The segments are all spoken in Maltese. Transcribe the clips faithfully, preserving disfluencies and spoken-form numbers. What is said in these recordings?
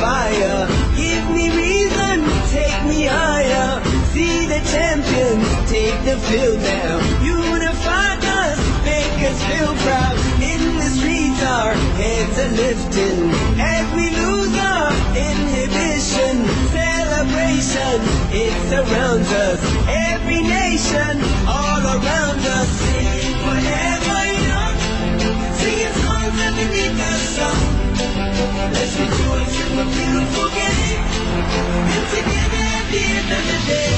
fire, give me reason, take me higher. See the champions take the field now. Unify us, make us feel proud. In the streets, our heads are lifting as we lose our inhibition. Celebration, it surrounds us. Every nation, all around us, singing forever young, singing songs underneath the sun. Let's rejoice in the beautiful game, and together at the end of the day,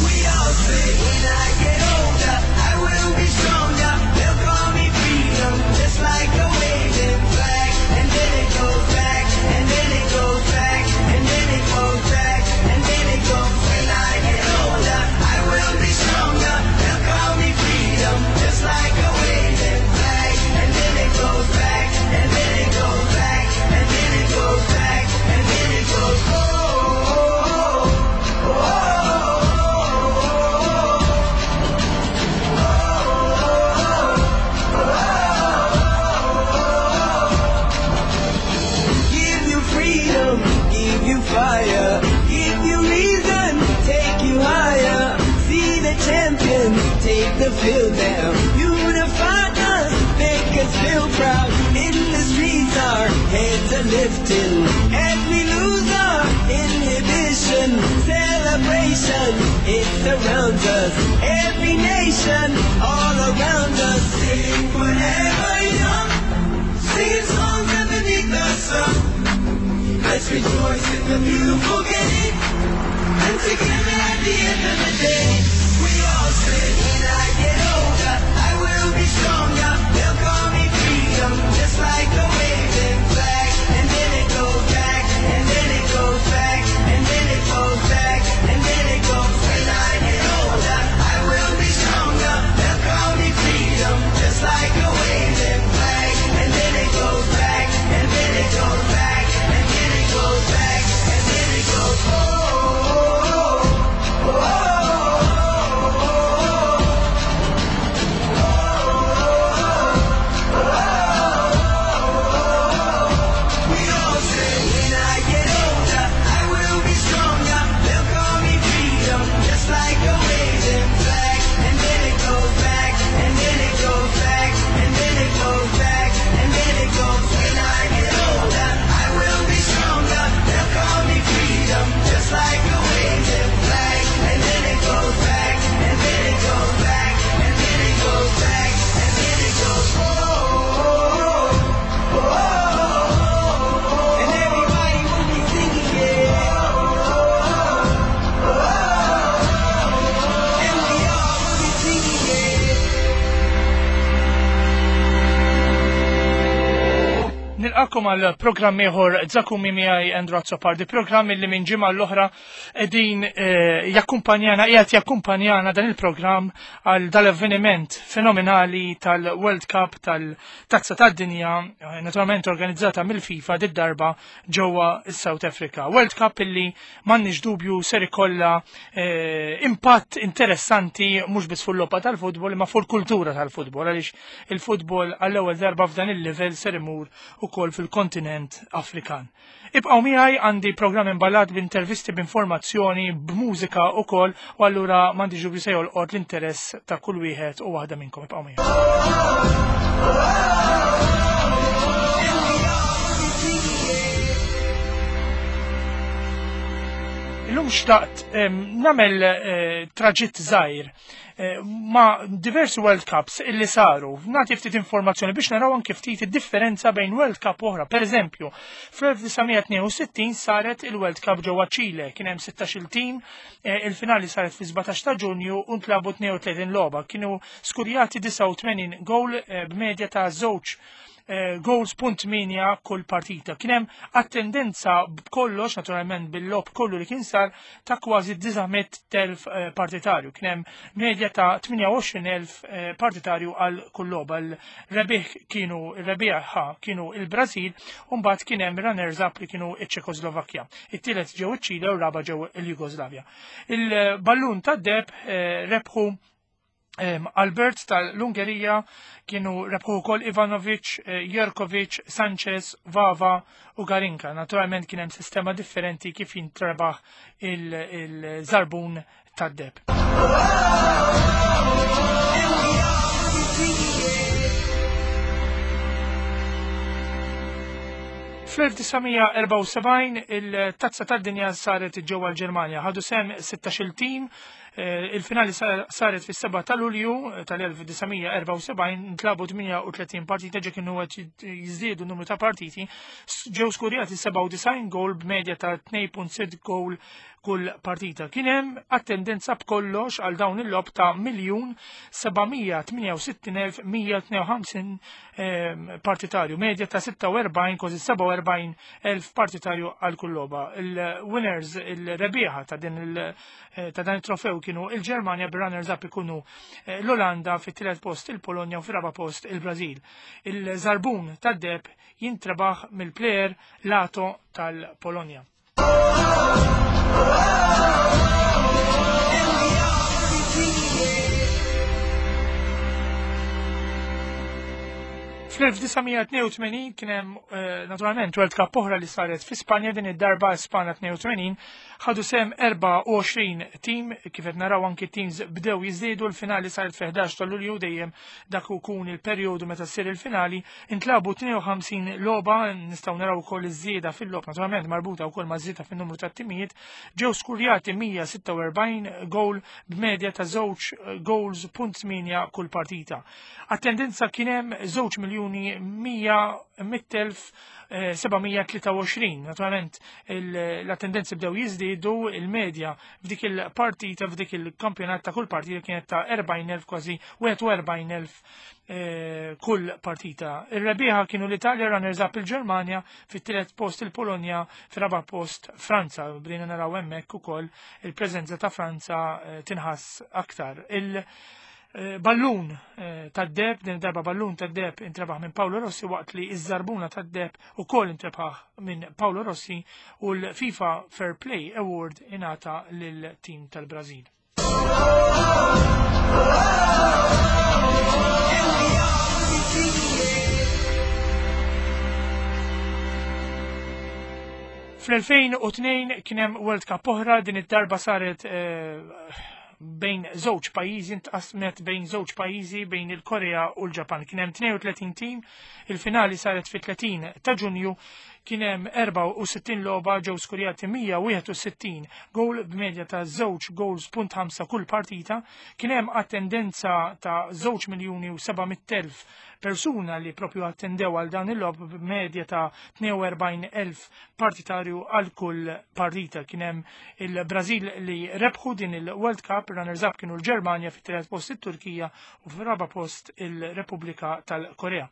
we all say, when I get older, I will be stronger. They'll call me freedom, just like a waving flag. And then it goes back, and then it goes back, and then it goes back, and then it goes. When I get older, I will be stronger. They'll call me freedom, just like a waving flag. And then it goes back, and then it goes back, and then it goes back, and then it goes. Oh, oh, oh, oh, oh. Give you freedom, give you fire, give you reason, take you higher. See the champions take the field now. Unify us, make us feel proud. In the streets, our heads are lifting as we lose our inhibition. Celebration, it surrounds us. Every nation, all around us, sing forever young, singing songs underneath the sun. Let's rejoice in the beautiful game, and together at the end of the day, we all say, when I get older, I will be stronger. They'll call me freedom, just like a waving flag. And then it goes back, and then it goes back, and then it goes back, and then it goes. When I get older, I will be stronger. They'll call me freedom, just like a waving flag. And then it goes back, and then it goes back, and then it goes back, and then it goes. Oh, oh, oh, oh, oh. We all say, when I get older, I will be stronger. They'll call me freedom, just like a waving flag. And then it goes back, and then it goes back, and then it goes back, and then it goes. When I get older, I will be stronger. They'll call me freedom, just like a waving flag. And then it goes back, and then it goes back, and then it goes back, and then it goes. Oh, oh, oh, oh. And everybody will be singing it. Oh, oh, oh. And we all will be singing it. Nilqakom għal programm ieħor Zakumi miegħi Andrew Azzopardi, programm li minn ġimgħa l-oħra qegħdin eh, jakkumpanjana qiegħed jakkumpanjana dan il-programm għal dal-avveniment fenomenali tal-World Cup tal-Tazza tad-Dinja, eh, naturalment organizzata mill-FIFA did-darba ġewwa s-South Africa. World Cup illi m'għandniex dubju ser ikollha eh, impatt interessanti mhux biss fuq l-logħba tal-futbol imma fuq il-kultura tal-futbol, għaliex il-futbol għall-ewwel darba f'dan il-livell ser imur ukoll fil-kontinent Afrikan. Ibqgħu miegħi, għandi programm imballat b'intervisti, b'informazzjoni, b'mużika ukoll, u allura m'għandix dubju se jolqot l-interess ta' kull wieħed u waħda minnkom. Ibqgħu miegħi. Illum xtaqt em, nagħmel eh, traġitt żgħir eh, ma' diversi World Cups illi saru. Nagħti ftit informazzjoni biex naraw anke ftit id-differenza bejn World Cup oħra. Per eżempju, fl-elf disa' mija tnejn u sittin saret il-World Cup ġewwa Ċile, kien hemm sittax-il team, eh, il-finali saret fi sbatax ta' Ġunju u ntlabu tnejn u tletin logħba. Kienu skurjati disgħa u tmenin goal eh, b'medja ta' żewġ eh, goals punt tmienja kull partita. Kien hemm attendenza b'kollox, naturalment bil-logħob kollu li kien sar, ta' kważi disa' mitt elf eh, partitarju. Kien hemm medja ta' tmienja u għoxrin elf eh, partitarju għal kull logħba. Il-rebbieħ kienu il-rebbieħa kienu il-Brażil u mbagħad kien hemm runners up li kienu iċ-Ċekoslovakkja. It-tielet ġew iċ-Ċile u r-raba ġew il-Jugoslavja. Il-ballun tad-deheb eh, rebħu Albert tal-Ungerija kienu rebħu wkoll Ivanovic, Jerkovic, Sanchez, Vava u Garinka. Naturalment kien hemm sistema differenti kif jintrebaħ il-żarbun tad-deb. fl-elf tisa' mija erbgħa u sebgħin il-Tazza tad-Dinja saret ġewwa l-Ġermanja. Ħadu sehem sittax-il tim. Il-finali saret fis-seba' ta' Lulju tal-elf tisa' mija erbgħa u sebgħin, ntlabu tmienja u tletin partita, ġe kienu qed jiżdiedu n-numru ta' partiti. Ġew skurjati sebgħa u disgħin goal b'medja ta' tnejn punt sitt goal kull partita. Kien hemm attendenza b'kollox għal dawn il-logħob ta' miljun seba' mija tmienja u sittin elf mija tnejn u ħamsin partitarju, medja ta' sitta u erbgħin, kważi sebgħa u erbgħin elf partitarju għal kull logħba. Il-winners, il-rebbieħa ta' din il-, ta' dan it-trofew kienu il-Ġermanja, bir-runners up ikunu l-Olanda, fit-tielet post il-Polonja u fir-raba' post il-Brażil. Il-żarbun tad-deb jintrebaħ mill-plejer Lato tal-Polonja. fl-elf tisa' mija tnejn u tmenin kien hemm naturalment World Cup oħra li saret fi Spanja, din id-darba Spanja tnejn u tmenin, ħadu sehem erbgħa u għoxrin tim, kif qed naraw anki teams bdew jiżdiedu. L-finali saret fi ħdax ta' Lulju, dejjem dak ikun il-perjodu meta ssir il-finali. Intlabu tnejn u ħamsin logħba, nistgħu naraw ukoll iż-żieda fil-logħob naturalment marbuta wkoll ma' żieda fin-numru tat-timijiet. Ġew skurjati mija sitta u erbgħin goal b'medja ta' żewġ goals punt tmienja kull partita. Attendenza kien hemm żewġ miljuni mija mitt elf seba' mija tlieta u għoxrin. Naturalment l-attendenzi bdew jiżdiedu, il-medja f'dik il-partita, f'dik il-kampjonat ta' kull partita kienet ta' erbgħin elf, kważi wieħed u erbgħin elf kull partita. Ir-rebbieħa kienu l-Italja, runners up il-Ġermanja, fit-tielet post il-Polonja, fir-raba' post Franza. Bdejna naraw hemmhekk ukoll il-preżenza ta' Franza tinħass aktar. Il- Ballun tad-deb, din darba ballun tad-deb intrebaħ minn Paolo Rossi, waqt li iż-żarbuna tad-deb ukoll intrebaħ minn Paolo Rossi, u l-FIFA Fair Play Award ingħata lil tim tal-Brażil. fl-elfejn u tnejn kien hemm World Cup oħra, din id-darba saret bejn żewġ pajjiżi, intqasmet bejn żewġ pajjiżi, bejn il-Korea u l-Ġapan. Kien hemm tnejn u tletin tim, il-finali saret fi tletin ta' Ġunju, kien hemm erbgħa u sittin logħba, ġew skurjati mija wieħed u sittin goal b'medja ta' żewġ goals punt ħamsa kull partita. Kien hemm attendenza ta' żewġ miljuni u seba' mitt elf persuna li propju attendew għal dan il-logħob b'medja ta' tnejn u erbgħin elf partitarju għal kull partita. Kien hemm il-Brażil li rebħu din il-World Cup, runners up kienu l-Ġermanja, fit-tielet post it-Turkija u fir-raba' post il-Repubblika tal-Korea.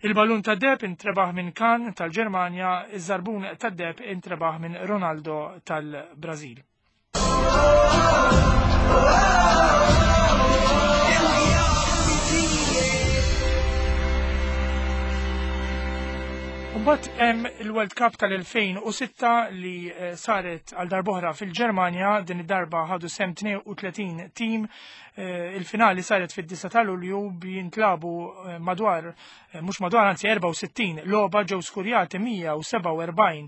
Il-ballun tad-deb intrebaħ minn Kahn tal-Ġermanja, iż-żarbun tad-deb intrebaħ minn Ronaldo tal-Brażil. Mbagħad hemm il-World Cup tal-elfejn u sitta li saret għal darb'oħra fil-Ġermanja, din id-darba ħadu sehem tnejn u tletin tim. Il-finali saret fid-disa ta' Lulju, jintlabu madwar, mhux madwar, anzi erbgħa u sittin logħba, ġew skurjati mija u sebgħa u erbgħin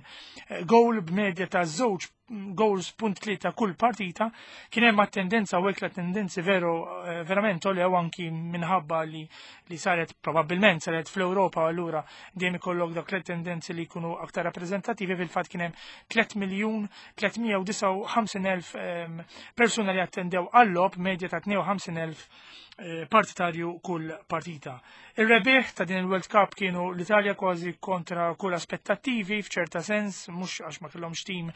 goal b'medja ta' żewġ goals punt tlieta kull partita. Kien hemm attendenza u hekk l-attendenzi veru verament għolew anki minħabba li, li saret probabbilment saret fl-Ewropa, u allura dejjem ikollok dak l-attendenzi li jkunu aktar rappreżentattivi. Fil-fatt kien hemm tliet miljun tliet mija u disgħa u ħamsin elf persuna li attendew għall-logħob, medja ta' tnejn u ħamsin elf partitarju kull partita. Ir-rebbieħ ta' din il-World Cup kienu l-Italja, kważi kontra kull aspettattivi f'ċerta sens, mhux għax ma kellhomx tim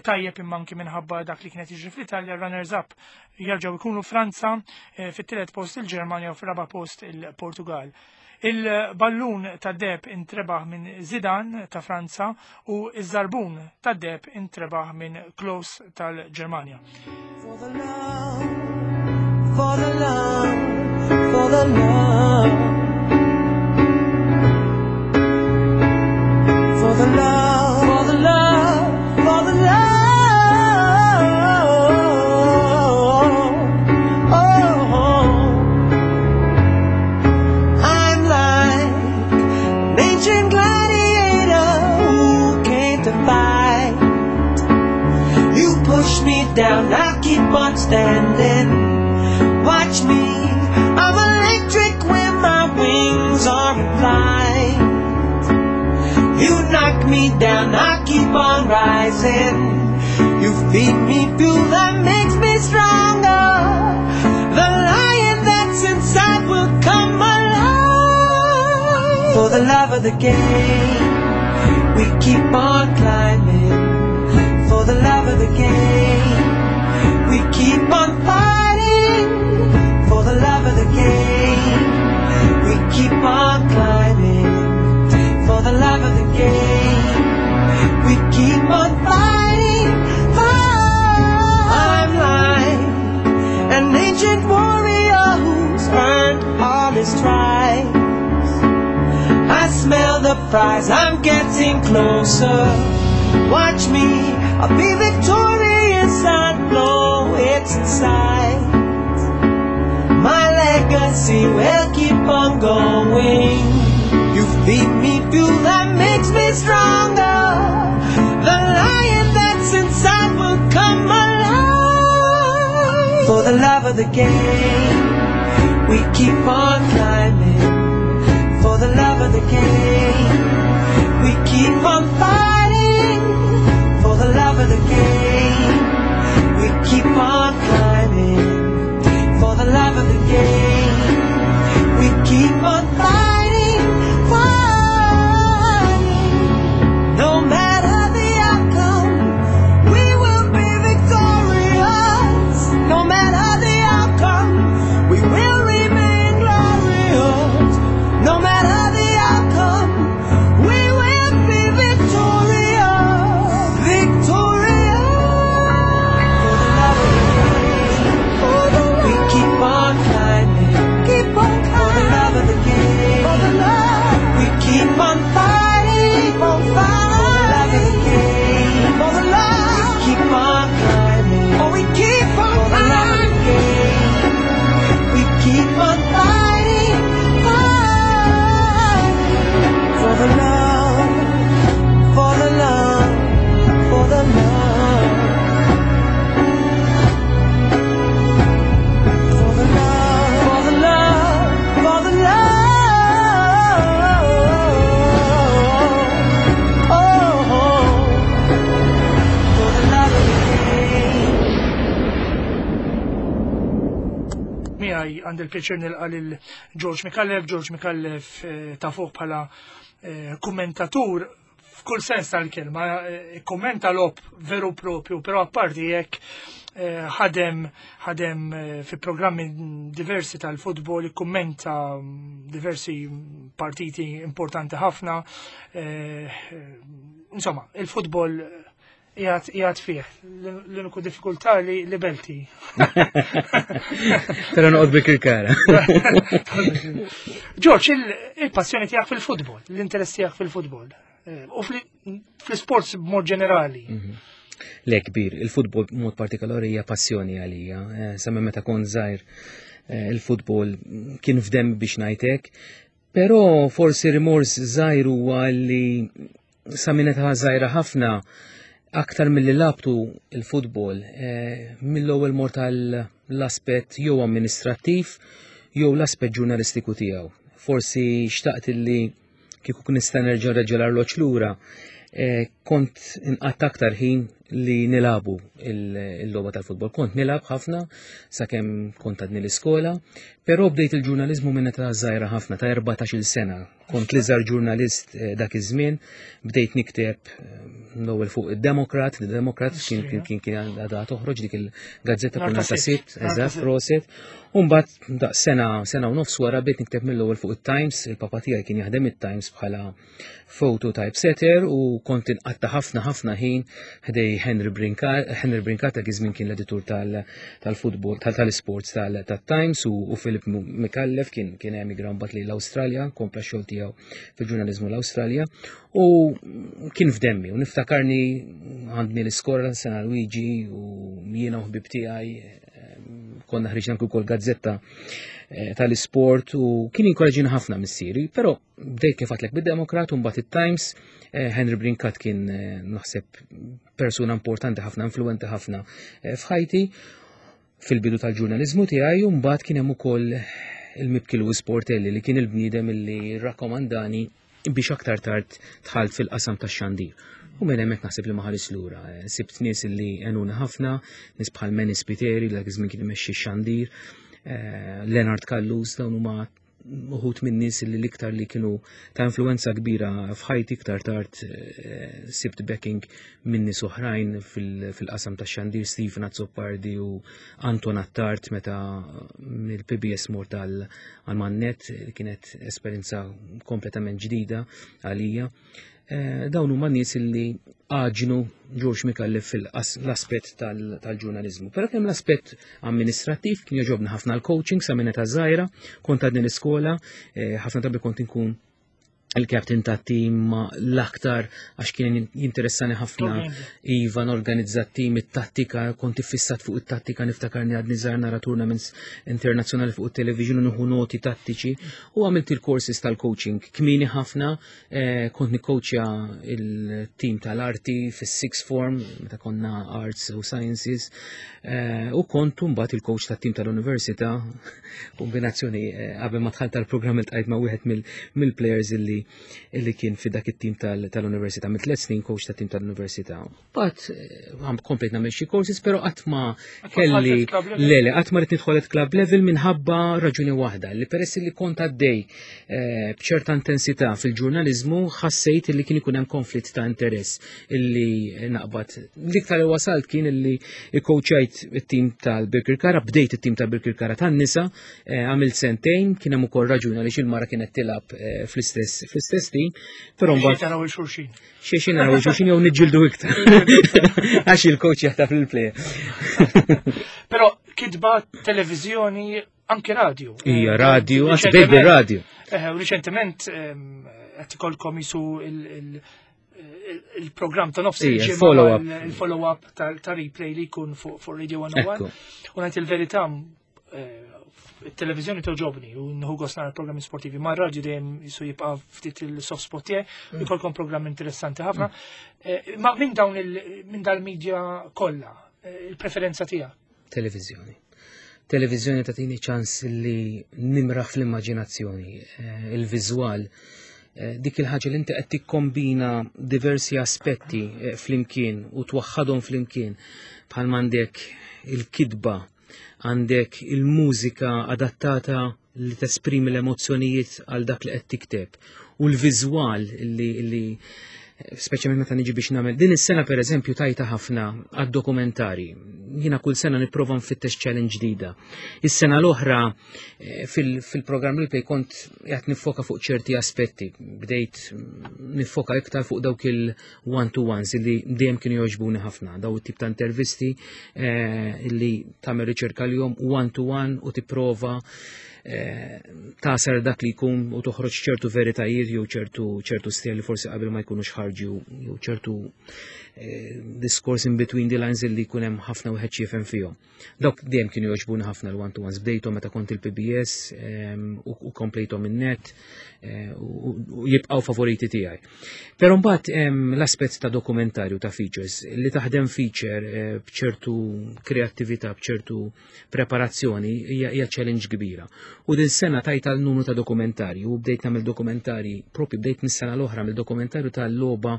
tajjeb imma anki minħabba dak li kienet jiġri fl-Italja. Runners up jerġgħu jkunu Franza, fit-tielet post il-Ġermanja u fir-raba' post il-Portugal. Il-ballun tad-deb intrebaħ minn Zidane ta' Franza u iż-żarbun tad-deb intrebaħ minn Klose tal-Ġermanja. For the love, for the love, for the love, for the love, for the love, for the love, oh, oh. Watch me, I'm electric when my wings are in flight. You knock me down, I keep on rising. You feed me fuel that makes me stronger. The lion that's inside will come alive. For the love of the game, we keep on climbing. For the love of the game, we keep on fighting. For the love of the game, we keep on climbing. For the love of the game, we keep on fighting. Fight. I'm like an ancient warrior who's earned all his stripes. I smell the prize, I'm getting closer. Watch me, I'll be victorious. I know it's in sight. My legacy will keep on going. You feed me fuel that makes me stronger. The lion that's inside will come alive. For the love of the game, we keep on climbing. For the love of the game, we keep on fighting. For the love of the game, we keep on climbing. For the love of the game, we keep on fighting, fighting. No matter the outcome, we will be victorious. No matter the outcome, we will remain glorious. No matter the outcome, we will be victorious. Victorious. For the love of the game, we keep on climbing. Keep on climbing. For the love of the game, for the love, we keep on fighting. Keep on fighting. For the love of the game, for the love, we keep on climbing. Oh, we keep on for the love of the game. We keep on fighting, fighting for the love, for the love, for the love. For the love, for the love, for the love. Oh, for the love of the game. Miegħi għandi l-pjaċir nilqa' lil George Micallef. George Micallef eh, tafuh bħala eh, kommentatur f'kull sens tal-kelma, eh, kommenta logħob veru propju, però apparti jekk eh, ħadem ħadem eh, fi programmi diversi tal-futbol, kummenta diversi partiti importanti ħafna. eh, Insomma, il-futbol qiegħed qiegħed fih. L-uniku diffikultà li li Belti. Però noqgħod Birkirkara. George, il- il-passjoni tiegħek fil-futbol, l-interess tiegħek fil-futbol, eh, u fl- fl-sports b'mod ġenerali. Le kbir, il-futbol b'mod partikolari hija passjoni għalija. Eh, Sa minn meta kont żgħir eh, il-futbol kien f'demmi biex ngħidlek, però forsi rimors żgħir huwa li sa minn età żgħira ħafna aktar milli lgħabtu il-futbol, eh, mill-ewwel mort l-aspett jew amministrattiv jew l-aspett ġurnalistiku tiegħu. Forsi xtaqt li kieku nista' nerġa' nreġġa' l-arloġġ lura, eh, kont inqatta' aktar ħin li nilagħbu il-logħba tal-futbol. Kont nilgħab ħafna sakemm kont għadni l-iskola, però bdejt il-ġurnalizmu minn età żgħira ħafna, ta' erbatax-il sena. Kont l-iżgħar ġurnalist eh, dak iż-żmien, bdejt nikteb eh, l-ewwel fuq id-Democrat, il-Democrat kien kien kien kien għadha toħroġ dik il-gazzetta Nhar kull ta' ta' Sibt. Sibt, eżatt, prosit. U mbagħad daq sena sena u nofs wara bdejt nikteb mill-ewwel fuq it-Times, il-papa tiegħi kien jaħdem it-Times bħala photo typesetter u kont inqatta' ħafna ħafna ħin ħdejn Henry Brincat, Henry Brincat dak iż-żmien kien l-editur tal-futbol, tal-sports tal-Times u u Philip Micallef kien kien emigra mbagħad lejn l-Awstralja, kompla x-xogħol tiegħu fil-ġurnaliżmu l-Awstralja u kien f'demmi u niftakarni għandni l-iskola San Luigi u jiena u ħbib tiegħi eh, konna ħriġna wkoll gazzetta eh, tal-isport u kien inkoraġġina ħafna missieri, però bdejt kif għedtlek bid-Demokrat u mbagħad it-Times, eh, Henry Brincat kien eh, naħseb persuna importanti ħafna, influenti ħafna eh, f'ħajti. Fil-bidu tal-ġurnalizmu tiegħi u mbagħad kien hemm ukoll il-mibki Louis Portelli li kien il-bniedem li rakkomandani biex aktar tard dħalt fil-qasam tax-xandir. U minn hemmhekk naħseb li ma ħares lura. Sibt nies li għenuni ħafna, nies bħal Manny Spiteri li dak iż-żmien kien imexxi x-xandir, eh, Leonard Callus, dawn huma uħud minn nies li l-iktar li kienu ta' influenza kbira f'ħajti. Iktar tard eh, sibt backing minn nies oħrajn fil-qasam ta' xandir, Stephen Azzopardi u Anton Attard meta mill-P B S mort għal Man-Net, kienet esperjenza kompletament ġdida għalija. Eh, dawn huma nies li għaġnu George Micallef fil-aspett tal-ġurnalizmu. Però kemm l-aspett amministrattiv, kien jogħġobni ħafna l-coaching sa minn età żgħira, kont għadni l-iskola, eh, ħafna drabi kont inkun il-captain ta' team l-aktar għax kien jinteressani ħafna iva norganizza team, it-tattika, kont iffissat fuq it-tattika, niftakarni għadni żgħir nara tournaments internazzjonali fuq it-television u nieħu noti tattiċi u għamilt il-courses tal-coaching kmieni ħafna, eh, kont nikcoachja il-team tal-arti fis-sixth form meta konna arts u sciences eh, u kont mbagħad il-coach tat-team tal-università, kombinazzjoni eh, qabel ma dħalt tal-programm iltqajt ma' wieħed mill-players illi illi kien fi dak it-tim tal-università, mit tliet snin coach tat-tim tal-università. But għam komplejt nagħmel xi courses, però qatt ma kelli le le qatt ma rrid nidħol club level minħabba raġuni waħda li peress li kont għaddej eh, b'ċerta intensità fil-ġurnalizmu ħassejt li kien ikun hemm konflitt ta' interess illi naqbad. L-iktar li wasalt kien illi ikkoċjajt it-tim tal-Birkirkara, bdejt it-tim tal-Birkirkara tan-nisa, eh, għamilt sentejn, kien hemm ukoll raġuni għaliex il-mara kienet tilgħab eh, fl-istess fl-istess team, però mbagħad naraw il-xulxin. Xi xi naraw il-xulxin jew niġġieldu iktar. Għax il-coach jaħtaf il-player. Però kitba, televizjoni, anke radio. Ija, radio, għax bejt radio. Eh, u riċentement qed ikolkom jisu il-programm ta' nofs Ija, follow-up. Il-follow-up ta' replay li jkun fuq Radio one oh one. U ngħid il-verità, eh, il-televizjoni togħġobni u nieħu gost nara programmi sportivi, ma r-radju dejjem jisu jibqa' ftit il-soft spot tiegħi, mm. ikolkom programm interessanti ħafna. Eh, ma minn dawn minn dal-media kollha, eh, il-preferenza tiegħek? Televizjoni. Televizjoni tagħtini ċans li nimraħ fl-immaġinazzjoni, eh, il-viżwal, dik il-ħaġa li inti qed tikkombina diversi aspetti flimkien u twaħħadhom flimkien, bħal m'għandek il-kitba, għandek il-mużika adattata li tesprimi l-emozzjonijiet għal dak li qed tikteb u l-viżwal li, li speċjalment meta niġi biex nagħmel. Din is-sena, pereżempju, tajta ħafna għad-dokumentari. Jiena kull sena nipprova nfittex challenge ġdida. Is-sena l-oħra eh, fil-programm Replay kont qed nifoka fuq ċerti aspetti. Bdejt nifoka iktar fuq dawk il-one-to-ones li dejjem kienu jogħġbuni ħafna, daw it-tip ta' intervisti eh, li tagħmel riċerka l-jum one-to-one u tipprova eh, tasar dak li jkun u toħroġ ċertu veritajiet jew ċertu ċertu stejjer li forsi qabel ma jkunux ħarġu jew ċertu eh, diskors in between the lines li jkun hemm ħafna wieħed jifhem fihom. Dawk dejjem kienu jogħġbuni ħafna l-one to ones. Bdejthom meta kont il-P B S ehm, u u komplejthom in-net eh, u u jibqgħu favoriti tiegħi. Però mbagħad hemm l-aspett ta' dokumentarju, ta' features, li taħdem feature eh, b'ċertu kreattività, b'ċertu preparazzjoni hija hija challenge kbira. U din sena tajt għal numru ta' dokumentarji u bdejt nagħmel dokumentarji, propju bdejt mis-sena l-oħra mill-dokumentarju tal-logħba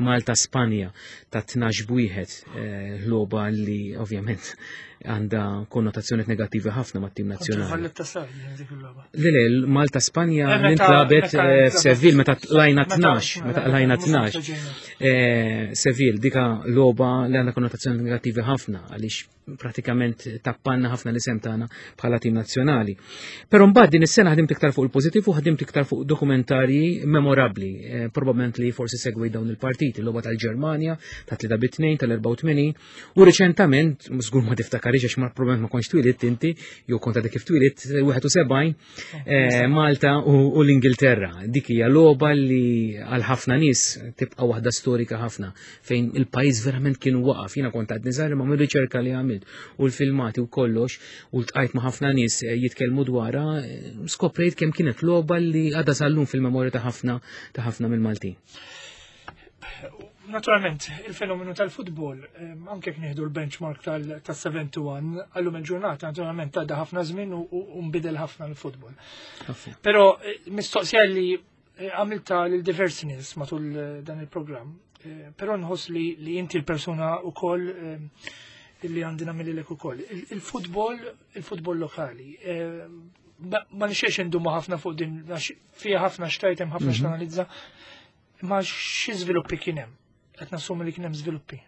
Malta Spanja ta' tnax b'wieħed, eh, logħba li ovvjament għandha konnotazzjoni negattivi ħafna mat-tim nazzjonali. Valletta sar, dik il-logħba. Le, le, Malta Spanja Eh, meta- nintlabet meta eh, intlabet- f'Seville meta tlajna meta- tnax, meta tlajna mhux tnax. meta ġejna. Eh, Seville, dika logħba li għandha konnotazzjoni negattivi ħafna għaliex pratikament tappanna ħafna l-isem tagħna bħala tim nazzjonali. Però mbagħad din is-sena ħdimt iktar fuq il-pożittiv u ħdimt iktar fuq dokumentarji memorabbli, eh, probabbilment li forsi segwi dawn il-partiti, l-logħba tal-Ġermanja ta' tlieta bit-tnejn tal-erbgħa u tmenin u riċentament, żgur ma tiftakarix għax ma probabbilment ma kontx twilidt inti, jew kont għadek kif twilidt, wieħed u sebgħin, eh, Malta u, u l-Ingilterra. Dik hija logħba li għal ħafna nies tibqa' waħda storika ħafna fejn il-pajjiż verament kien waqaf. Jiena kont għadni żgħir, ma mir-riċerka li għamilt u l-filmati u kollox u ltqajt ma' ħafna nies eh, jitkellmu dwarha, eh, skoprejt kemm kienet logħba li għadha sal-lum fil-memorja ta' ħafna ta' ħafna mill-Maltin. Naturalment, il-fenomenu tal-futbol, anke jekk nieħdu l-benchmark tas-sebgħa u disgħin, għallum il-ġurnata, naturalment għadda ħafna żmien u nbidel ħafna l-futbol. Però eh, mistoqsija li eh, għamilta lil diversi nies matul eh, dan il-programm, però nħoss li, li inti l-persuna ukoll li għandina mill-lek ukoll. Il-futbol, il-futbol lokali, ma nixxiex indumu ħafna fuq din, fija ħafna x'tgħid, hemm ħafna mhm. x'tanalizza, ma xi żviluppi kien hemm? Qed nassumi li kien hemm żviluppi.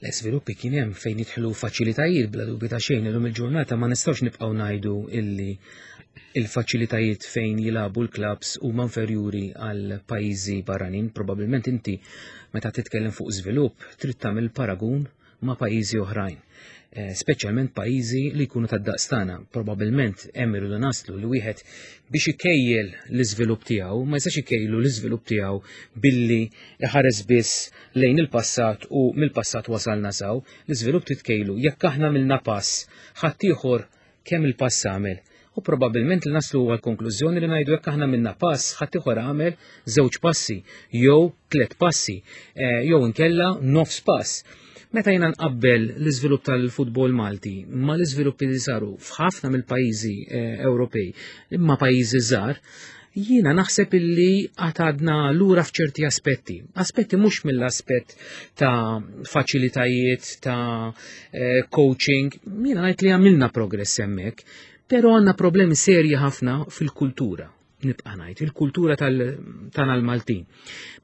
L-iżviluppi kien hemm fejn jidħlu faċilitajiet, bla dubju ta' xejn. Illum il-ġurnata ma nistgħux nibqgħu ngħidu illi il-faċilitajiet fejn jilagħbu l-klabs huma inferjuri għal pajjiżi barranin. Probabilment inti meta titkellem fuq żvilupp trid tagħmel paragun ma' pajjiżi oħrajn. Eh, speċjalment pajjiżi li jkunu tad-daqs tagħna. Probabilment hemm irridu naslu li wieħed biex ikejjel l-iżvilupp tiegħu ma jistax ikejlu l-iżvilupp tiegħu billi iħares biss lejn il-passat u mill-passat wasalna s'hawn. L-iżvilupp titkejlu jekk aħna għamilna pass, ħaddieħor kemm il-pass għamel. U probabilment li naslu għal konklużjoni li ngħidu jekk aħna għamilna pass, ħaddieħor għamel żewġ passi, jew tliet passi, eh, jew inkella nofs pass. Meta jiena nqabbel l-iżvilupp tal-futbol Malti ma l-iżviluppi li saru f'ħafna mill-pajjiżi eh, Ewropej, imma pajjiżi żgħar, jiena naħseb illi għadna lura f'ċerti aspetti. Aspetti mhux mill-aspett ta' faċilitajiet, ta' eh, coaching, jiena ngħid li għamilna progress hemmhekk, però għandna problemi serji ħafna fil-kultura, nibqa' ngħid, il-kultura tagħna l-Maltin.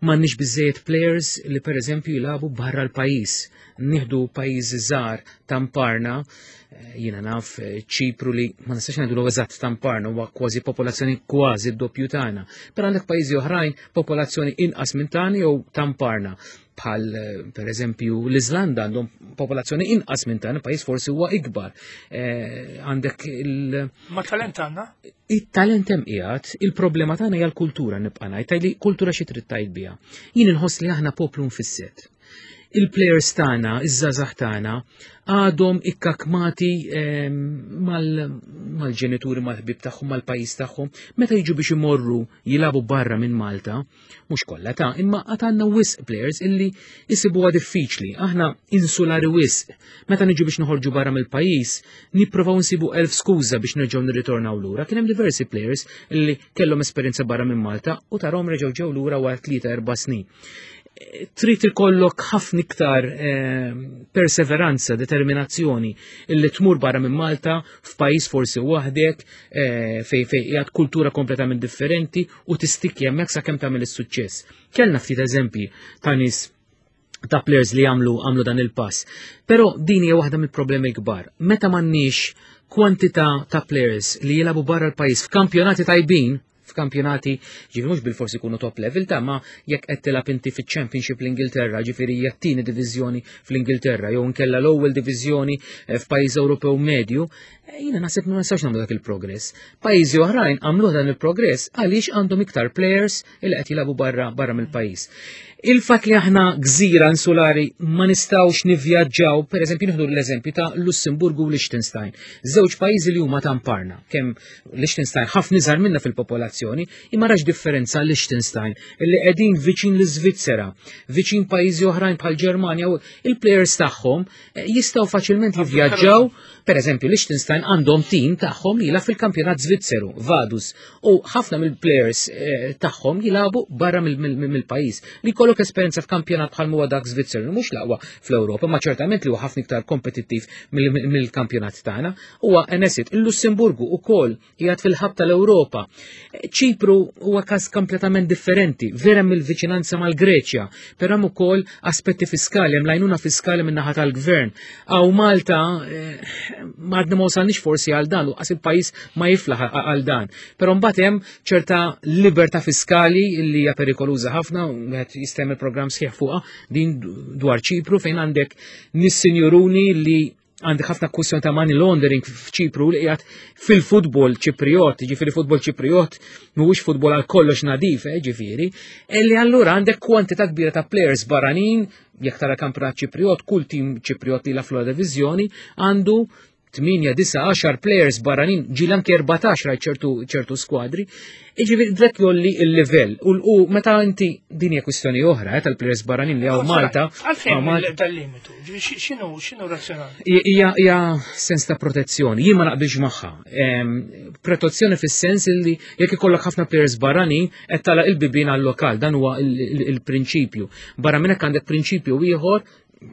M'għandniex biżejjed players li pereżempju jilagħbu barra l-pajjiż. Nieħdu pajjiżi żgħar tamparna, eh, jiena naf eh, Ċipru li ma nistax ngħidu eżatt tamparna, huwa kważi popolazzjoni kważi d-doppju tagħna. Però għandek pajjiżi oħrajn popolazzjoni inqas minn tagħna jew tamparna, bħal eh, per eżempju l-Iżlanda, għandhom popolazzjoni inqas minn tagħna, pajjiż forsi huwa ikbar. Għandek il- Ma talent għandna? Il-talent hemm qiegħed, il-problema tagħna hija l-kultura, nibqa' ngħid. Li kultura xi trid tgħid biha? Jien inħoss li aħna poplu mfisset. Il-players tagħna, iż-żgħażagħ tagħna għadhom ikkakmati ehm, mal-ġenituri, mal-ħbib tagħhom, mal-pajjiż tagħhom. Meta jiġu biex imorru jilagħbu barra minn Malta, mhux kollha ta', imma għad għandna wisq players illi jisibuha diffiċli. Aħna insulari wisq. Meta niġu biex noħorġu barra mill-pajjiż, nipprovaw nsibu elf skuża biex nerġgħu nirritornaw lura. Kien hemm diversi players illi kellhom esperjenza barra minn Malta u tarahom reġgħu ġew lura wara tlieta erba' snin. Trid ikollok ħafna iktar eh, perseveranza, determinazzjoni illi tmur barra minn Malta f'pajjiż forsi waħdek eh, fej fej qiegħed kultura kompletament differenti u tistikki hemmhekk sakemm tagħmel is-suċċess. Kellna ftit eżempji ta' nies, ta' players li għamlu għamlu dan il-pass. Però din hija waħda mill-problemi kbar. Meta m'għandniex kwantità ta' players li jilagħbu barra l-pajjiż f'kampjonati tajbin, f'kampjonati, ġifieri mhux bil-forsi jkunu top level ta' ma jekk qed tilgħab inti fiċ-Championship l-Ingilterra, ġifieri hija t-tieni diviżjoni fl-Ingilterra, jew inkella l-ewwel diviżjoni eh, f'pajjiż Ewropew medju, eh, jiena naħseb ma nistax nagħmlu dak il-progress. Pajjiżi oħrajn għamlu dan il-progress għaliex għandhom iktar players li qed jilagħbu barra barra mill-pajjiż. Il-fatt li aħna gżira insulari, ma nistgħux nivvjaġġaw, per eżempju nieħdu l-eżempju ta' Lussemburgu u Liechtenstein. Żewġ pajjiżi li huma tamparna, kemm Liechtenstein ħafna iżgħar minna fil-popolazzjoni, imma rax differenza Liechtenstein illi qegħdin viċin l-Iżvizzera, viċin pajjiżi oħrajn bħal Ġermanja, u il-players tagħhom eh, jistgħu faċilment jivvjaġġaw. Per eżempju, Liechtenstein għandhom tim tagħhom li jilgħab fil-kampjonat Zvizzeru, Vaduz, u ħafna mill-players eh, tagħhom jilagħbu barra mill-pajjiż. Li jkollok esperjenza f'kampjonat bħal huwa dak Zvizzeru, mhux l-aqwa fl-Ewropa, ma ċertament li huwa ħafna iktar kompetittiv mill-kampjonat tagħna, huwa enesit. Il-Lussemburgu ukoll qiegħed fil-ħabta tal-Ewropa. Ċipru huwa każ kompletament differenti, vera mill-viċinanza mal-Greċja, però hemm ukoll aspetti fiskali, hemm l-għajnuna fiskali min-naħa tal-gvern. Hawn Malta eh, ma għadna ma wasalniex forsi għal dan, u qas il-pajjiż ma jiflaħ għal dan. Però mbagħad hemm ċerta libertà fiskali li hija perikoluża ħafna, wieħed jista' jagħmel programm sħiħ fuqha din dwar Ċipru, fejn għandek nies sinjuruni li għandek ħafna kwistjoni ta' money laundering f'Ċipru li qiegħed fil-futbol Ċipriot, ġifieri futbol Ċipriot mhuwiex futbol għal kollox nadif, eh, ġifieri, li allura għandek kwantità kbira ta' players barranin. Jekk tara kampjonat Ċipriot, kull tim Ċipriot li la fl diviżjoni għandu tmienja, disgħa, għaxar players barranin, ġieli anke erbatax rajt ċertu ċertu skwadri. Iġifieri dak jgħolli il-livell. U u meta inti, din hija kwistjoni oħra eh, tal-players barranin li hawn Malta. Għalfejn Hawn Malta- dal-limitu? Ġifieri xi- X'inhu x'inhu razzjonali? Hija hija sens ta' protezzjoni. Jien ma naqbilx magħha. Em, Protezzjoni fis-sens illi jekk ikollok ħafna players barranin qed tagħlaq il-bibien għal-lokal, dan huwa il- il- il-prinċipju. Barra minn hekk għandek prinċipju ieħor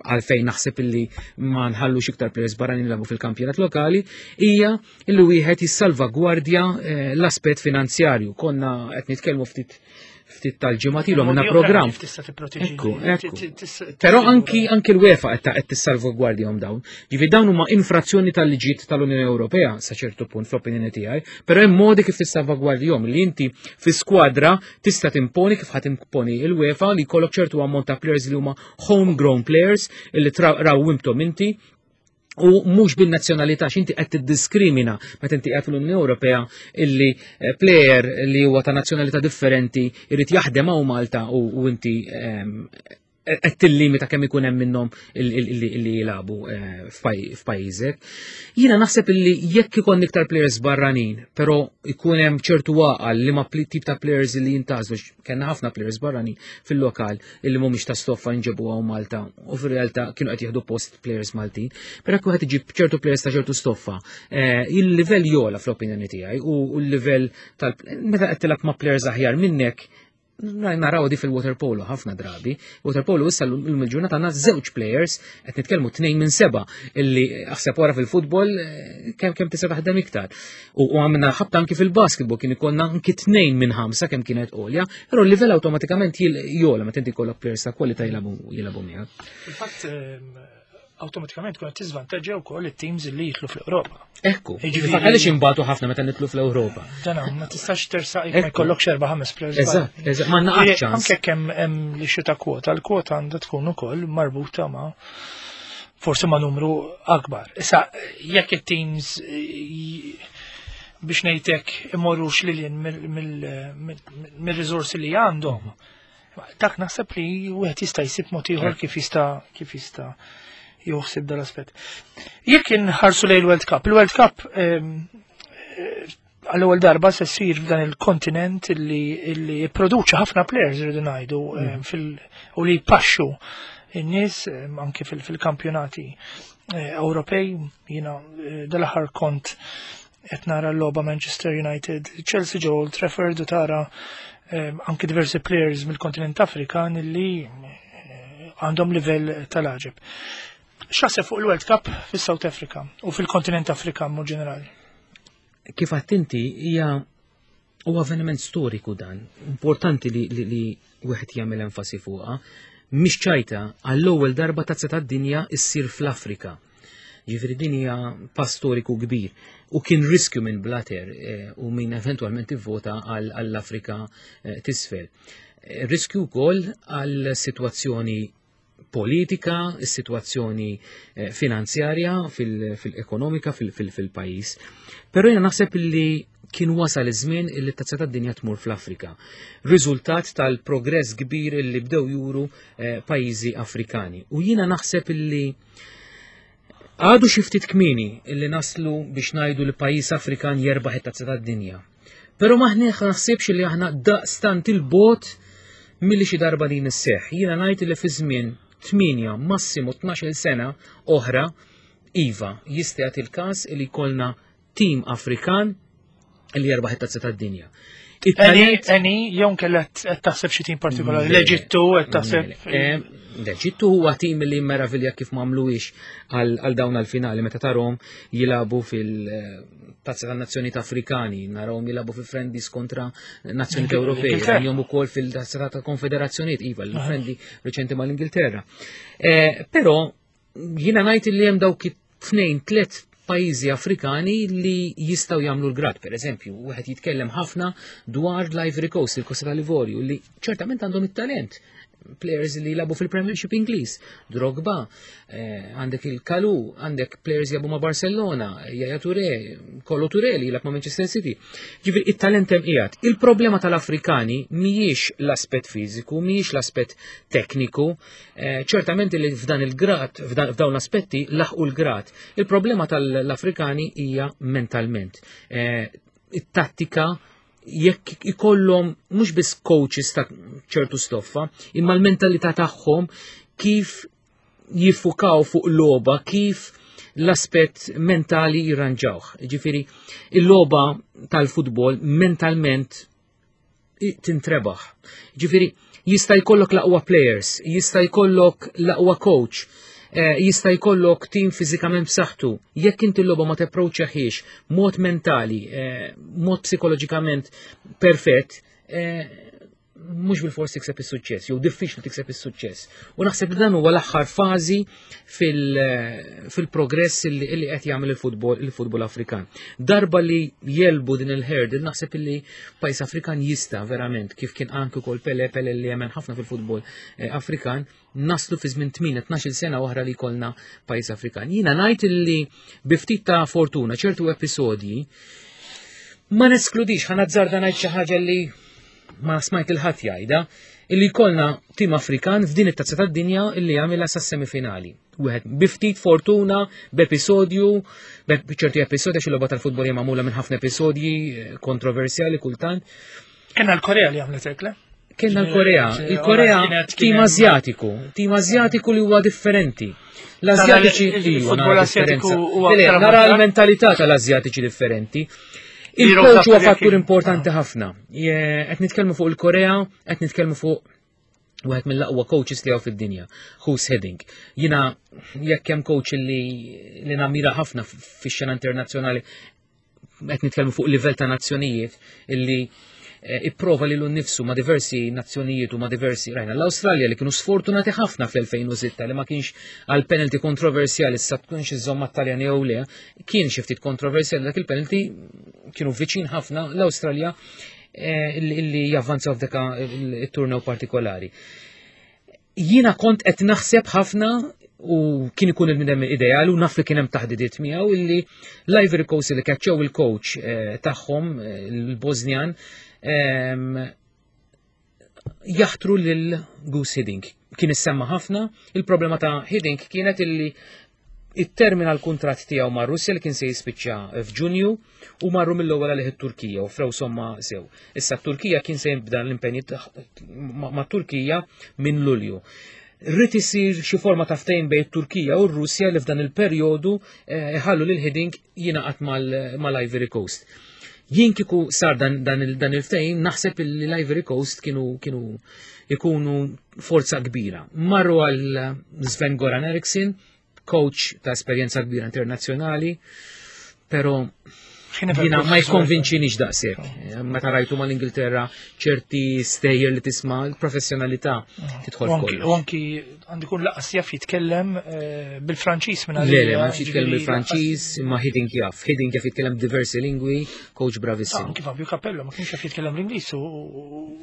għalfejn naħseb illi ma nħallux iktar players barranin jilagħbu fil-kampjonat lokali, hija illi wieħed jissalvagwardja eh, l-aspett finanzjarju. Konna qed nitkellmu ftit ftit tal-ġimgħat ilu għamilna Modi oħra programm. kif tista' tipproteġi. Ekku, Ti- ekku. ti- tista' Però tissigura. anki anki l-UEFA qed qed tissalvagwardjahom dawn. Ġifieri dawn huma infrazzjoni tal-liġijiet tal-Unjoni Ewropea sa ċertu punt fl-opinjoni tiegħi, però hemm modi kif tissalvagwardjahom li inti fi skwadra tista' timponi, kif ħadd timponi il-UEFA, li jkollok ċertu ammont ta' players li huma homegrown players illi tra- rawwimthom inti u mhux bin-nazzjonalità, x'inti qed tiddiskrimina meta inti qiegħed fl-Unjoni Ewropea illi eh, player li huwa ta' nazzjonalità differenti irid jaħdem hawn Malta u, u inti ehm, qed tillimita kemm ikun hemm minnhom illi illi jilagħbu eh, f'paj- f'pajjiżek. Jiena naħseb illi jekk ikun iktar players barranin, però ikun hemm ċertu għaqal li ma pli- tip ta' players li jintgħażlu, kellna ħafna players barranin fil-lokal illi mhumiex ta' stoffa nġebu hawn Malta u fir-realtà kienu qed jieħdu post players Maltin. Però jekk wieħed iġib ċertu players ta' ċertu stoffa, eh, il-livell jogħla fl-opinjoni tiegħi u u l-livell tal meta qed tilgħab ma' players aħjar minnek. Naraw di fil-waterpolo ħafna drabi. Waterpolo issa l-lum il-ġurnata għandna żewġ players, qed nitkellmu tnejn minn seba', illi aħseb wara fil-futbol eh, kemm kemm tista' taħdem iktar. U u għamilna ħabta anki fil-basketball kien ikollna anki tnejn minn ħamsa kemm kienet għolja, però l-livell awtomatikament jogħla meta inti jkollok players ta' kwalità jilagħbu jilagħbu miegħek. Fil-fatt ehm, awtomatikament kun qed tiżvantaġġja wkoll it-teams li jidħlu fl-Ewropa. Ekku, Jiġifieri- fil-fatt għaliex inbatu ħafna meta nidħlu fl-Ewropa. Dana, ma tistax tersaq jekk ma Ekku. jkollokx erba' ħames players. Eżatt, eżatt, ma naqgħax ċans. Anke kemm hemm li xi ta' kwota, l-kwota għandha tkun ukoll marbuta ma' forsi ma' numru akbar. Issa, jekk it-teams eh, biex ngħidlek imorrux lil mill-riżorsi li għandhom, dak naħseb li wieħed jista' jsib mod ieħor kif jista' kif jista' joħsib dal-aspett. Jekk inħarsu lejn il-World Cup, il-World Cup ehm, eh, għall-ewwel darba se ssir f'dan il-kontinent illi illi jipproduċi ħafna players, irridu ngħidu, ehm, fil u li jpaxxu in-nies ehm, anke fil- fil-kampjonati eh, Ewropej. Jiena eh, dal-aħħar kont qed nara l-logħba Manchester United, Chelsea ġo Old Trafford u tara ehm, anke diversi players mill-kontinent Afrikan illi eh, għandhom livell tal-għaġeb. X'taħseb fuq il-World Cup fis-South Africa u fil-kontinent Afrikan mod ġenerali? Kif għedt inti, hija u avveniment storiku dan, importanti li, li, li wieħed jagħmel enfasi fuqha, mhix ċajta, għall-ewwel darba tazza tad-dinja issir fl-Afrika. Ġifieri din hija pass storiku kbir u kien riskju minn Blatter eh, u minn eventwalment ivvota għall- għall-Afrika eh, t'isfel. Eh, Riskju wkoll għal sitwazzjoni politika, is-sitwazzjoni eh, finanzjarja fil-ekonomika fil-pajjiż. Però jiena naħseb li kien wasal iż-żmien illi t-tazza tad-dinja tmur fl-Afrika. Riżultat tal-progress kbir illi bdew juru eh, pajjiżi Afrikani. U jiena naħseb illi għadu xi ftit kmieni illi naslu biex ngħidu li pajjiż Afrikan jerbaħ it-tazza tad-dinja. Però maħniex naħsibx li aħna daqstant 'il bogħod milli xi darba din isseħħ. Jiena ngħid li fi żmien tmienja, massimo tnax-il sena oħra, iva, jista' jagħti il-każ li jkollna tim Afrikan li jerbaħ it-tazza tad-dinja. Any, any, jew kellha qed taħseb xi tim partikolari? L-Eġittu qed taħseb? Eh, L-Eġittu huwa tim li meravilja kif m'għamluhiex għal għal dawn għal-finali meta tarahom jilagħbu fil-Tazza tan-Nazzjonijiet Afrikani, narawhom jilagħbu fi friendlies kontra nazzjonijiet Ewropej, L-Ingilterra. rajnihom ukoll fil-Tazza ta' Konfederazzjonijiet, iva, l-friendly reċenti mal-Ingilterra. Eh, Però jiena ngħid li hemm dawk it-tnejn, tliet pajjiżi Afrikani li jistgħu jagħmlu l-grad. Per eżempju, wieħed jitkellem ħafna dwar l-Ivory Coast, il-Kosta tal-Ivorju, li ċertament għandhom it-talent. Players li jilagħbu fil-Premiership Ingliż, Drogba, eh, għandek il-Kalu, għandek players jilagħbu ma' Barcellona, Yaya Touré, Kolo Touré li jilgħab ma' Manchester City. Ġifieri it-talent hemm qiegħed. Il-problema tal-Afrikani mhijiex l-aspett fiżiku, mhijiex l-aspett tekniku, eh, ċertament li f'dan il-grad, f'dawn l-aspetti laħqu l-grad. Il-problema tal-Afrikani hija mentalment. Eh, it-tattika, jekk ikollhom mhux biss coaches ta' ċertu stoffa, imma l-mentalità tagħhom, kif jiffukaw fuq logħba, kif l-aspett mentali jirranġawh. Ġifieri, il-logħba tal-futbol mentalment tintrebaħ. Ġifieri, jista' jkollok l-aqwa players, jista' jkollok l-aqwa coach, eh, jista' jkollok tim fiżikament b'saħħtu. Jekk inti l-logħba ma tapproċċjahiex mod mentali, eh, mod psikoloġikament perfett, eh, mhux bil-fors tikseb is-suċċess, jew diffiċli tikseb is-suċċess. U naħseb li dan huwa l-aħħar fażi fil-progress li qed jagħmel il-futbol il-futbol Afrikan. Darba li jegħlbu din il-hurdle, naħseb li pajjiż Afrikan jista' verament, kif kien anke wkoll Pele, Pele li jemmen ħafna fil-futbol eh, Afrikan, naslu fi żmien tmien tnax-il sena oħra li jkollna pajjiż Afrikan. Jiena ngħid li bi ftit ta' fortuna, ċertu episodji, ma neskludix, ħa nazzarda ngħid xi ħaġa li ma smajt lil ħadd jgħidha, illi jkollna tim Afrikan f'din it-tazza tad-dinja illi jagħmilha sas-semifinali. Wieħed bi ftit fortuna, b'episodju, b'ċerti episodji, għax il-logħba tal-futbol hija magħmula minn ħafna episodji eh, kontroversjali kultant. Kenna l-Korea li għamlet hekk, le? Kenna l-Korea. Il-Korea tim Azjatiku, tim Azjatiku li huwa differenti. L-Azjatiċi Il-futbol Azjatiku huwa nara l-mentalità tal-Azjatiċi differenti. Il-coach huwa fattur importanti ħafna. Qed nitkellmu fuq il-Korea, qed nitkellmu fuq wieħed mill-aqwa coaches li hawn fid-dinja, Guus Hiddink. Jiena jekk hemm coach li li namira ħafna fix-xena internazzjonali, qed nitkellmu fuq livell ta' nazzjonijiet, illi eh, ipprova lilu nnifsu ma' diversi nazzjonijiet u ma' diversi, rajna l-Awstralja li kienu sfortunati ħafna fl-elfejn u sitta li ma kienx għal penalty kontroversjali, sa tkunx iżomm mat-Taljan jew le, kien xi ftit kontroversjali dak il-penalty, kienu viċin ħafna l-Awstralja eh, illi javvanzaw f'daka il-turnew partikolari. Jiena kont qed naħseb ħafna u kien ikun il-bniedem ideali u naf li kien hemm taħdidiet miegħu, illi l-Ivory Coast li keċċew il-coach eh, tagħhom, eh, il-Bosnian, ehm, jaħtru lil Guus Hiddink. Kien issemma ħafna, il-problema ta' Hiddink kienet illi it-termina l-kuntratt tiegħu ma' Russja li kien se jispiċċa f'Ġunju u marru mill-ewwel għalih it-Turkija u offrew somma sew. Issa t-Turkija kien se jibda l-impenji ma' Turkija minn Lulju. Rrid isir xi forma ta' ftehim bejn it-Turkija u r-Russja li f'dan il-perjodu eh, iħallu lil Hiddink jingħaqad mal-Ivory Coast. Jien kieku sar dan, dan, il- dan il-ftehim, naħseb li l-Ivory Coast kienu kienu ikunu forza kbira. Marru għal Sven Goran Eriksson, coach ta' esperjenza kbira internazzjonali, pero jiena ma jkonvinċinix daqshekk. Meta rajtu mal-Ingilterra, ċerti stejjer li tisma', l-professjonalità tidħol U anki- kollox. U anki għandu jkun lanqas jaf jitkellem eh, bil-Franċiż minn Le, le, ma jitkellem bil-Franċiż, imma Hiddink jaf. Hiddink jaf jitkellem diversi lingwi, coach bravissimo. Anki Fabio Capello ma kienx jaf jitkellem l-Ingliż u.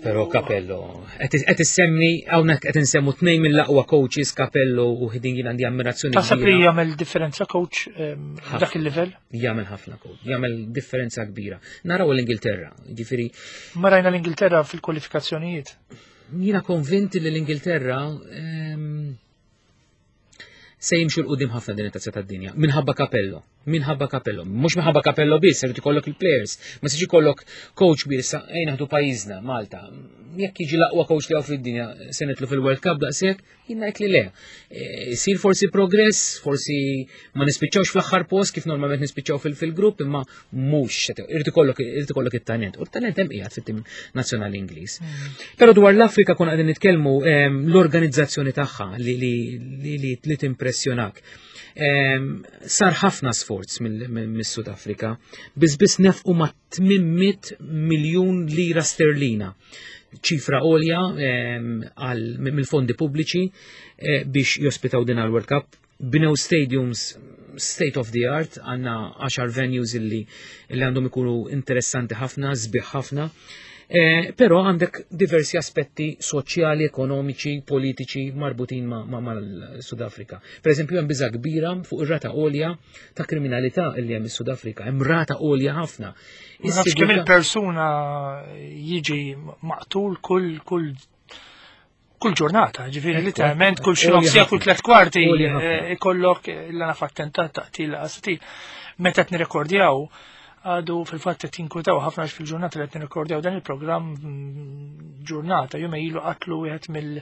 Pero Capello, qed issemmi, hawnhekk qed insemmu tnejn mill-aqwa coaches, Capello u Hiddink, jien għandi ammirazzjoni Taħseb li kbira. jagħmel differenza coach ehm, Ħafna. dak il-livell? Jagħmel ħafna coach, jagħmel differenza kbira. Naraw l-Ingilterra, ġifieri Ma rajna l-Ingilterra fil-kwalifikazzjonijiet. Jiena konvinti li l-Ingilterra ehm, se jimxu 'l quddiem ħafna din it-tazza tad-dinja. Minħabba Capello, minħabba Capello. Mhux minħabba Capello biss, irid ikollok il-players, ma siġi ikollok coach kbir sa ejn naħdu pajjiżna, Malta. Jekk jiġi l-aqwa coach li hawn fid-dinja, se nitlu fil-World Cup daqshekk? Jien ngħid li le. E, Isir forsi progress, forsi ma nispiċċawx fl-aħħar post kif normalment nispiċċaw fil-grupp, imma mhux irid ikollok irid ikollok it-talent. U t-talent hemm qiegħed fit-tim nazzjonali Ingliż. Però dwar l-Afrika kon qegħdin nitkellmu, ehm, l-organizzazzjoni tagħha li li li, li, li timpressjonak. Ehm, sar ħafna sforz mill-Sud Afrika, biss biss nefqu ma' tmien mitt miljun lira sterlina, ċifra għolja ehm, għal- mill-fondi pubbliċi eh, biex jospitaw din għal-World Cup. Bnew stadiums state of the art, għandna għaxar venues illi, illi għandhom ikunu interessanti ħafna, sbieħ ħafna. Eh, però għandek diversi aspetti soċjali, ekonomiċi, politiċi marbutin ma' ma' mal-Sudafrika. Per eżempju, hemm biża' kbira fuq ir-rata għolja ta' kriminalità li hemm is-Sudafrika, hemm rata għolja ħafna. Ma nafx kemm il-persuna jiġi maqtul kull kull kull ġurnata, ġifieri literalment kull xi nofs siegħa, kull tliet kwarti eh, ikollok l-għana f'attentat taqtil qtil. Meta qed nirrekordjaw, għadu fil-fatt qed jinkwetaw ħafna għax fil-ġurnata li qed nirrekordjaw dan il-programm mm, ġurnata jum ilu qatlu wieħed mill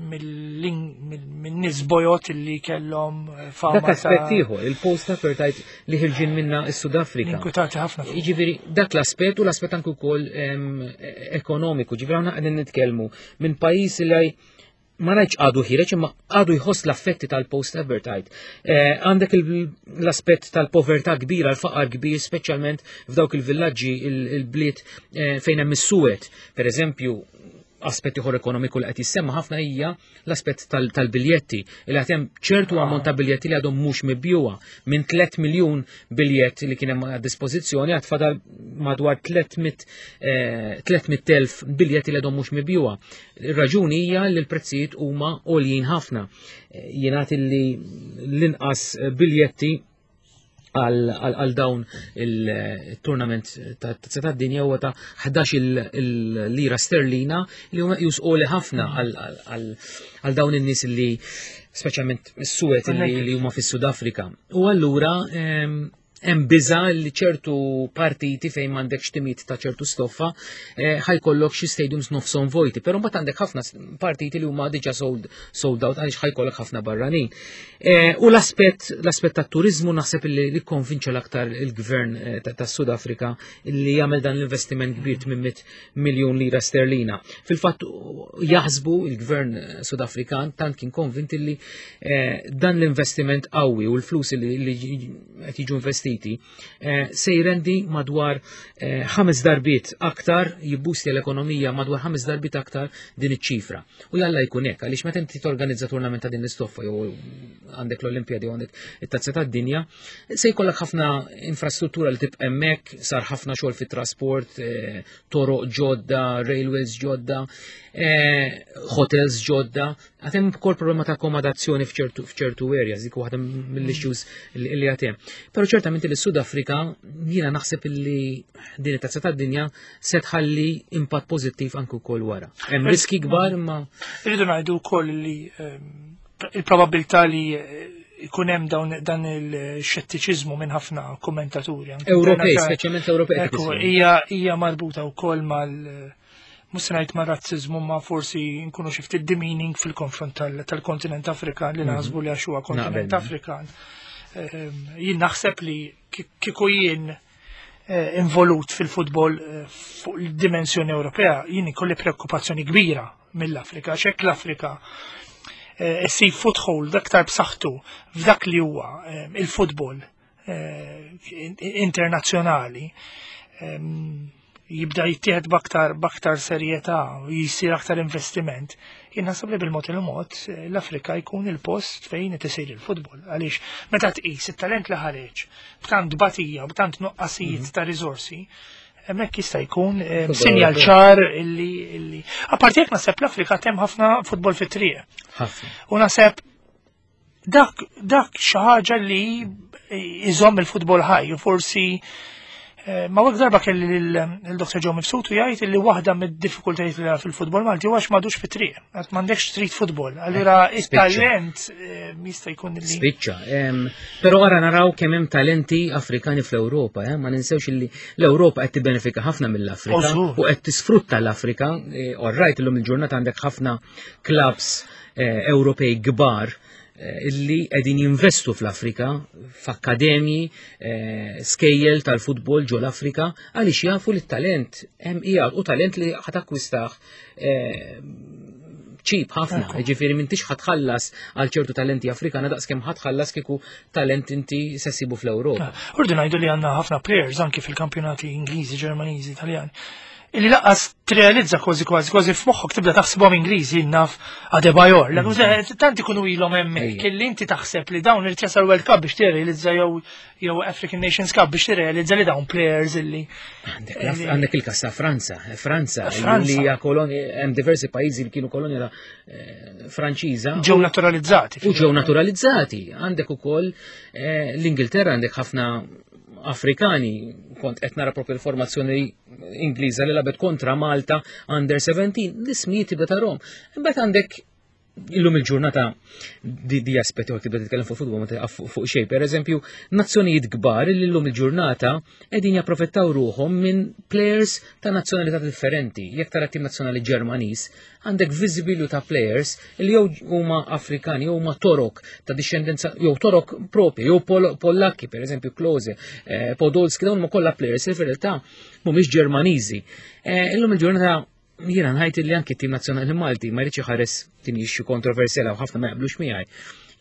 mill-nies bojod li kellhom eh, fama. Dak aspett ieħor, il-post-apartheid li ħirġin minna s-Sudafrika. Inkwetati ħafna. Jiġifieri dak l-aspett u l-aspett anke wkoll em, ekonomiku, ġifieri aħna qegħdin nitkellmu minn pajjiż li ma ngħidx għadu ħireġ imma għadu jħoss l-affetti tal-post-apartheid. Eh, Għandek il- l-aspett tal-povertà kbira, l-faqar kbir, speċjalment f'dawk il-villaġġi, il- il-bliet eh, fejn hemm is-suwed. Per eżempju, aspett ieħor ekonomiku li qed jissemma ħafna hija l-aspett tal- tal-biljetti li qed hemm ċertu ammont ta' biljetti li għadhom mhux mibjuwa minn tliet miljun biljett li kien hemm għad dispożizzjoni għad fadal madwar tliet mitt eh, tliet mitt elf biljetti li għadhom mhux mibjuwa. Ir-raġuni hija li l-prezzijiet huma għoljin ħafna. Eh, Jingħad li l-inqas biljetti għal għal dawn il-tournament ta' Tazza tad-Dinja huwa ta' ħdax il-lira sterlina li huma jusqoli ħafna għal dawn in-nies li speċjalment is-suwed li li huma fis-Sud Afrika. U allura em, hemm biża li ċertu partiti fejn m'għandekx timijiet ta' ċertu stoffa eh, ħa jkollok xi stadiums nofshom vojti, però mbagħad għandek ħafna partiti li huma diġà sold, sold out għaliex ħa jkollok ħafna barranin. Eh, u l-aspett l-aspett tat-turizmu naħseb li li konvinċa l-aktar il-gvern eh, ta' tas-Sud Afrika li jagħmel dan l-investiment kbir tmien mitt miljun lira sterlina. Fil-fatt jaħsbu il-gvern Sudafrikan tant kien konvint li eh, dan l-investiment qawwi u l-flus li li qed jiġu investiti eh, se jrendi madwar eh, ħames darbiet aktar, jibbusti l-ekonomija madwar ħames darbiet aktar din iċ-ċifra. U jalla jkun hekk, għaliex meta inti torganizza tournament ta' din l-istoffa jew għandek l-Olimpjadi jew għandek it-Tazza tad-Dinja, se jkollok ħafna infrastruttura li tibqa' hemmhekk, sar ħafna xogħol fit-trasport, eh, toroq ġodda, railways ġodda, eh, hotels ġodda, għad hemm ukoll problema ta' akkomodazzjoni f'ċertu f'ċertu areas, dik waħda mill-issues li li għad hemm. Però ċertament li Sud Afrika jiena naħseb li din it-Tazza tad-Dinja se tħalli impatt pożittiv anke wkoll wara. Hemm riski kbar imma Irridu ngħidu wkoll li ehm, il-probabilità li eh, ikun hemm dawn dan il-xettiċiżmu minn ħafna kommentaturi anke Ewropej, internazzjonali. speċjalment Ewropej. Ekku, hija hija marbuta wkoll mal mhux se ngħid ma' razzizmu, ma forsi nkunu xi ftit demeaning fil-konfront tal- tal-kontinent Afrikan li naħsbu li għax huwa kontinent Naqbel. Afrikan. Ehm, Jien naħseb li ki- kieku jien eh, involut fil-futbol eh, fuq il-dimensjoni Ewropea, jien ikolli preokkupazzjoni kbira mill-Afrika, xek l-Afrika eh, issib foothold aktar b'saħħtu f'dak li huwa eh, il-futbol eh, internazzjonali, ehm, jibda jittieħed b'aktar b'aktar serjetà u jisir aktar investiment. Jien naħseb li bil-mod il-mod eh, l-Afrika jkun il-post fejn qed isir il-futbol. Għaliex meta tqis it-talent li ħareġ b'tant batija, b'tant nuqqasijiet ta' riżorsi, hemmhekk jista' jkun eh, Futbol sinjal Ewropew. ċar illi illi. Apparti jekk naħseb l-Afrika hemm ħafna futbol fit-triq. Ħafna. U naħseb dak dak xi ħaġa li iżomm il-futbol ħaj u forsi eh, ma wek darba kelli il-Doktor Joe Mifsud u jgħid li waħda mid-diffikultajiet li fil-futbol Malti huwa għax m'għadux fit-triq, għax m'għandekx street football. Allura it-talent eh, jista' jkun li Spiċċa. em, Però ara naraw kemm hemm talenti Afrikani fl-Ewropa, eh? Ma ninsewx li l-Ewropa qed tibbenefika ħafna mill-Afrika Ożur. U qed tisfrutta l-Afrika. Eh, All right, illum il-ġurnata għandek ħafna clubs eh, Ewropej kbar eh, illi qegħdin jinvestu fl-Afrika, f'akkademji, eh, skejjel tal-futbol ġo l-Afrika, għaliex jafu li t-talent hemm qiegħed u talent li ħa takkwistah eh, cheap ħafna, ġifieri m'intix ħa tħallas għal ċertu talenti Afrikana daqs kemm ħa tħallas kieku talent inti se ssibu fl-Ewropa. Urdu ngħidu li għandna ħafna players anki fil-kampjonati Ingliżi, Ġermaniżi, Italjani. Illi lanqas tirrealizza kważi kważi kważi f'moħħok tibda taħsibhom Ingliżi, naf Adebayor. Mm. Tant ikunu ilhom hemmhekk illi inti taħseb li dawn irid jasal World Cup biex tirrealizza jew jew African Nations Cup biex tirrealizza li dawn players illi. Għandek il-kas ta' Franza, Franza, li hija kolonja, hemm diversi pajjiżi li kienu kolonja eh, Franċiża. Ġew naturalizzati. U ġew naturalizzati. Għandek ukoll eh, l-Ingilterra, għandek ħafna Afrikani, kont qed nara propju l-formazzjoni Ingliża li lagħbet kontra Malta under seventeen, l-ismijiet tibda tarahom. Imbagħad għandek illum il-ġurnata di, di aspetti għak tibda titkellem fuq futbol ma tieqaf fuq xejn. Per eżempju, nazzjonijiet kbar li illum il-ġurnata qegħdin japprofittaw ruħhom minn players ta' nazzjonalità differenti. Jekk tara tim nazzjonali Ġermaniż, għandek visibilju ta' players li jew huma Afrikani, jew huma Torok ta' discendenza, jew Torok propri, jew Pol Pollakki, per eżempju Klose, eh, Podolski, dawn huma kollha players li fir-realtà mhumiex Ġermaniżi. Eh, illum il-ġurnata jiena ngħid li anki tim nazzjonali Malti ma jridx iħares din issue kontroversjali u ħafna ma jaqblux miegħi.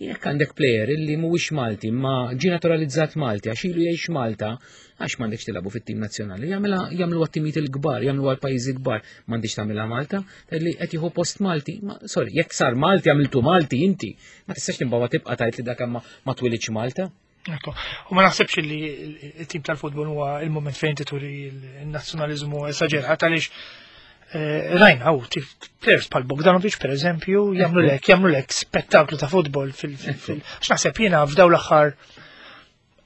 Jekk għandek player illi mhuwiex Malti ma ġie naturalizzat Malti għax ilu jgħix Malta, għax m'għandekx tilagħbu fit-tim nazzjonali? Jagħmilha jagħmlu għat-timijiet il-kbar, jagħmlu għal pajjiżi kbar, m'għandix tagħmilha Malta, li qed jieħu post Malti. Ma sorry, jekk sar Malti għamiltu Malti inti, ma tistax timbawa tibqa' tgħid li dak ma ma twilidx Malta. Ekku. U ma naħsebx li il-tim tal-futbol huwa il-moment fejn tituri il-nazzjonalizmu esaġerat għaliex eh, rajna u players bħal Bogdanovic, per eżempju, jagħmlu lek jagħmlu lek spettaklu ta' futbol fil fil għax naħseb jiena f'daw l-aħħar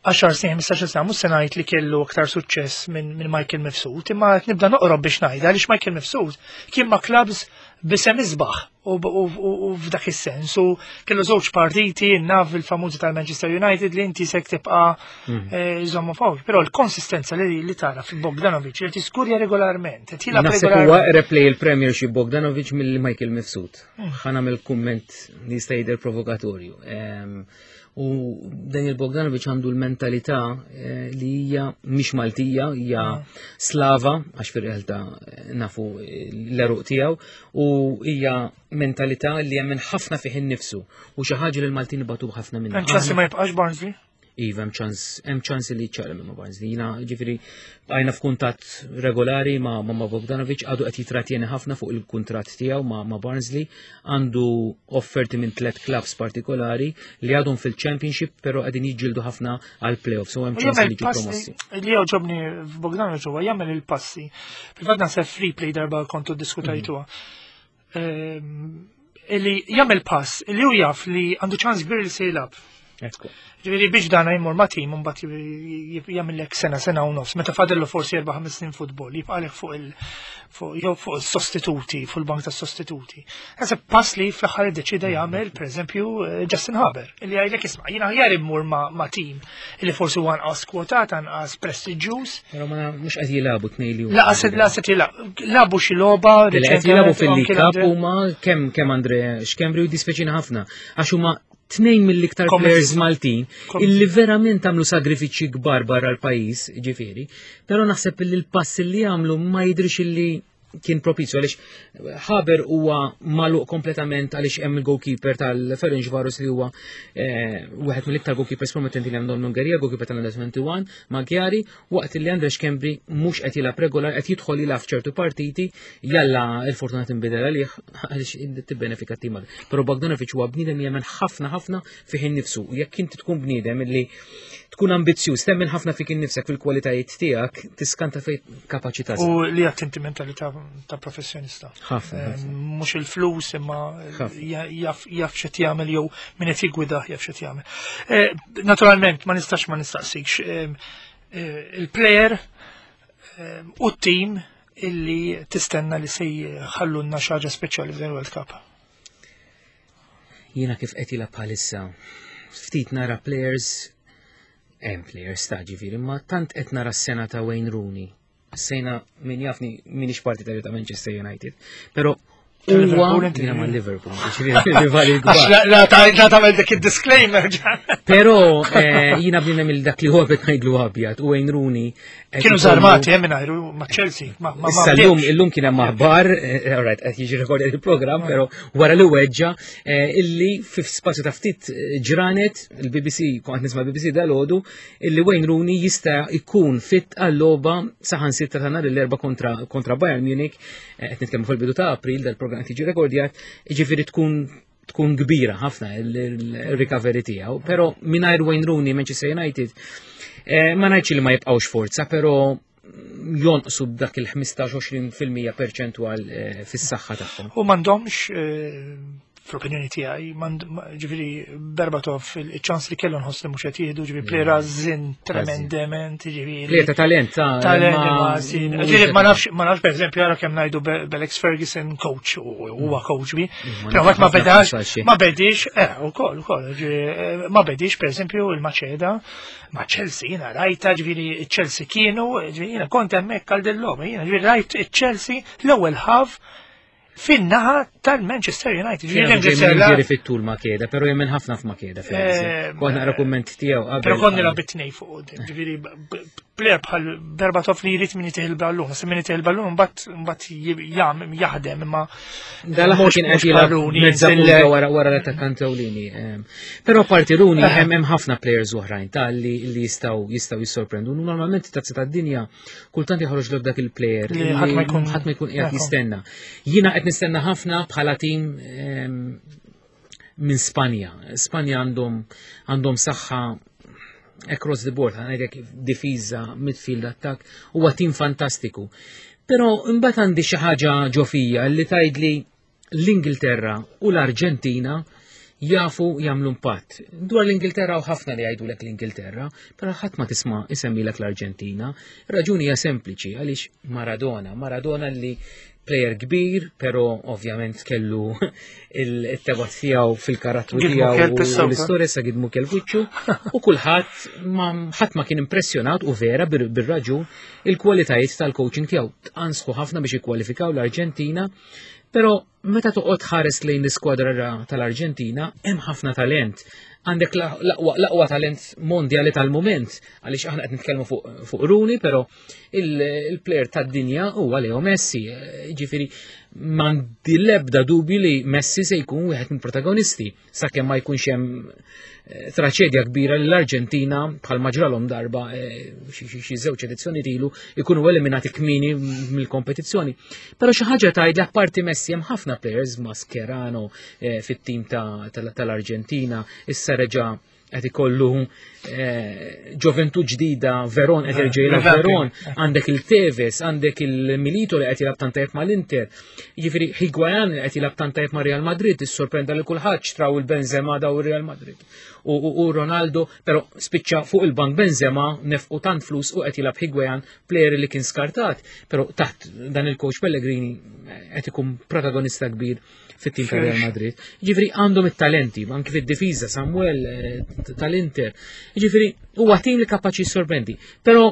għaxar snin, ħmistax-il sena, mhux se ngħid li kellu aktar suċċess minn min Michael Mifsud, imma qed nibda noqrob biex ngħidha għaliex Michael Mifsud kien ma' clubs b'isem isbaħ u u f'dak is-sens u kellu żewġ partiti, naf il-famużi tal-Manchester United li inti sek tibqa' eh, żommu fuq. Però l-konsistenza li li tara fil-Bogdanovic li tiskurja regolarment, qed jilgħab Naħseb huwa regolarment. replay il-Premiership Bogdanovic mill Michael Mifsud. Ħa nagħmel kumment li jista' jidher provokatorju. Em, U Daniel Bogdanovic għandu l-mentalità eh, li hija mhix Maltija, hija Slava, għax fir-realtà eh, nafu l-għeruq tiegħu, u hija mentalità li jemmen ħafna fih innifsu u xi ħaġa li l-Maltin ibatu ħafna minnha. Hemm ċans li ma jibqax Barnsley? Iva, hemm ċans, hemm ċans li ċaqlem ma' Barnsley. Jiena ġifieri bqajna f'kuntatt regolari ma' ma' ma' Bogdanovic, għadu qed jitratjeni ħafna fuq il-kuntratt tiegħu ma' ma' Barnsley, għandu offerti minn tliet clubs partikolari li għadhom fil-Championship, però qegħdin jiġġieldu ħafna għal playoffs, so hemm U ċans jagħmel li jiġu passi promossi. li jogħġobni f'Bogdanovic huwa jagħmel il-passi. Fil-fatt naħseb free play darba kontu diskutajtuha. Ehm, Illi jagħmel pass illi hu jaf li għandu ċans kbir li se jilgħab. Ekku. Ġifieri biex dana jmur ma' tim mbagħad jagħmellek sena, sena u nofs, meta fadillu forsi erba' ħames snin futbol, jibqalek fuq il fuq jew fuq is-sostituti, fuq il-bank tas-sostituti. Naħseb pass li fl-aħħar iddeċida jagħmel, pereżempju, eh, Justin Haber, illi jgħidlek, "Isma', jiena aħjar immur ma' ma' tim illi forsi huwa anqas kwotat, anqas prestiġjuż." Però ma mhux qed jilagħbu tnejn li huma. Laqas laqas jilagħbu labu xi logħba Li qed jilagħbu fil-League Cup anke huma kemm kemm Andre Schembri u dispeċina ħafna għax huma tnejn mill-iktar Komedi. players Maltin Komedi. illi verament għamlu sagrifiċċji kbar barra l-pajjiż, ġifieri, però naħseb li l-pass li għamlu ma jidrix illi kien propizju għaliex Haber huwa magħluq kompletament għaliex hemm il-goalkeeper tal-Ferencvaros li huwa eh, wieħed mill-iktar goalkeepers promettenti li għandhom l-Ungerija, goalkeeper tal-Under twenty-one, Magyari, waqt li Andre Schembri mhux qed jilgħab regolar, qed jidħol jilgħab f'ċertu partiti, jalla il-fortuna tinbidel għalih għaliex tibbenefika t-tim. Però Bogdanovic huwa bniedem li jemmen ħafna ħafna fih innifsu. Jekk inti tkun bniedem li tkun ambizzjuż, temmen ħafna fik innifsek, fil-kwalitajiet tiegħek, tiskanta fejn kapaċi tasal. U li għattinti mentalità ta' professjonista. Ħafna, Eh, ħafna. Mhux il-flus imma Ħafna. ja- jaf jaf x'qed jagħmel jew min qed jiggwidah jaf x'qed jagħmel. Eh, Naturalment ma nistax ma nistaqsikx eh, eh, il-player eh, u t-team illi tistenna li se jħallulna xi ħaġa speċjali f'dan il-World Cup. Jiena kif qed jilgħab bħalissa ftit nara players, hemm players ta' ġifieri, ma tant qed nara s-sena ta' Wayne Rooney. Sena min jafni minix partitarju ta' Manchester United, però Huwa jiena ma' Liverpool, rivali kbar. La tagħmel dik id-disclaimer. Però eh, jiena bnina mill dak li huwa qed ngħidlu abjad u Wayne Rooney. Kienu żarmati hemm mingħajru ma' Chelsea. Issa llum illum kien hemm aħbar, eh, alright, qed jiġi rekordjat il-programm, però wara li weġġa eh, illi fi spazju ta' ftit ġranet il-B B C, kont nisma' B B C dalgħodu, illi Wayne Rooney jista' jkun fit għal-logħba saħansitra ta' nhar l-Erbgħa kontra kontra Bayern Munich, qed nitkellmu fil-bidu ta' April dal-programm qed jiġi rekordjat, jiġifieri tkun tkun kbira ħafna il-recovery tiegħu, però mingħajr Wayne Rooney Manchester United eh, ma ngħidx li ma jibqgħux forza, però jonqsu b'dak il-ħmistax-għoxrin fil-mija perċentwal eh, fis-saħħa tagħhom. U m'għandhomx, eh, fl-opinjoni tiegħi, ġifieri Berbatov il-ċans li kellu nħoss li mhux qed jieħdu, ġifieri player għażżien tremendament, ġifieri. Player ta' talent, ta' Talent, ġifieri ma nafx, ma nafx pereżempju għara kemm ngħidu b'Alex Ferguson coach u huwa coach bi, però ma bedax, ma bedix, eh, ukoll, ukoll, ma bedix pereżempju il-Maċeda ma' Chelsea, jiena rajta, ġifieri Chelsea kienu, ġifieri jiena kont hemmhekk għal dil-logħba, jiena ġifieri rajt Chelsea l-ewwel half fin-naħa tal-Manchester United. Ġifieri fit-tul Macheda, però jemmen ħafna f'Macheda. Kont naqra kumment tiegħu qabel. Però konni la bitnej fuq, ġifieri player bħal Berbatov li jrid min jtih il-ballun, se min jtih il-ballun mbagħad mbagħad jaħdem imma. Dal-aħħar kien qed jilgħab mezza wara wara l-attakkant ewlieni. Però parti Rooney hemm hemm ħafna players oħrajn ta' li li jistgħu jistgħu jissorprendu. Normalment tazza tad-dinja kultant joħroġ dak il-player li ħadd ma jkun ħadd ma jkun qiegħed jistenna. Jiena qed nistenna ħafna bħala tim minn Spanja. Spanja għandhom għandhom saħħa across the board, għandek difiża, midfield, attack, huwa tim fantastiku. Però imbagħad għandi xi ħaġa ġo fija li tgħidli l-Ingilterra u l-Arġentina jafu jagħmlu impatt. Dwar l-Ingilterra u ħafna li jgħidulek l-Ingilterra, però ħadd ma tisma' isemmilek l-Arġentina. Raġuni hija sempliċi, għaliex Maradona, Maradona li player kbir, pero ovvjament kellu il-tebat tiegħu fil-karattru tiegħu u l-istorja sa gidmu kell wiċċu u kulħadd ma ħadd ma kien impressjonat, u vera bir-raġun, il-kwalitajiet tal-coaching tiegħu. Tqansħu ħafna biex jikkwalifikaw l-Arġentina, però meta toqgħod ħares lejn l-iskwadra tal-Arġentina hemm ħafna talent. Għandek l-aqwa talent mondjali tal-moment, għaliex aħna qed nitkellmu fuq Rooney, però il-player tad-dinja huwa Leo Messi. Ġifieri m'għandi l-ebda dubju li Messi se jkun wieħed mill-protagonisti sakemm ma jkunx hemm eh, traċedja kbira li l-Arġentina, bħal ġralhom darba eh, xi żewġ edizzjoni ilu, ikunu eliminati kmieni mill-kompetizzjoni. Però xi ħaġa tgħid li apparti Messi hemm ħafna players, Mascherano eh, fit-tim tal-Arġentina, issa reġa' qed ikollu ġoventu ġdida, Veron qed jerġa' jilgħab Veron, għandek il-Tevez, għandek il-Milito li qed jilgħab tant tajjeb mal-Inter. Jiġifieri Higuain li qed jilgħab tant tajjeb ma' Real Madrid, issorprenda lil kulħadd, xtraw il-Benzema daw Real Madrid. U Ronaldo, però spiċċa fuq il-bank Benzema, nefqu tant flus u qed jilgħab Higuain, player li kien skartat, però taħt dan il-coach Pellegrini qed ikun protagonista kbir fit-tim ta' Real Madrid. Ġifieri għandhom it-talenti, anki fid-difiża Samuel eh, tal-Inter. Ġifieri huwa tim li kapaċi sorprendi. Però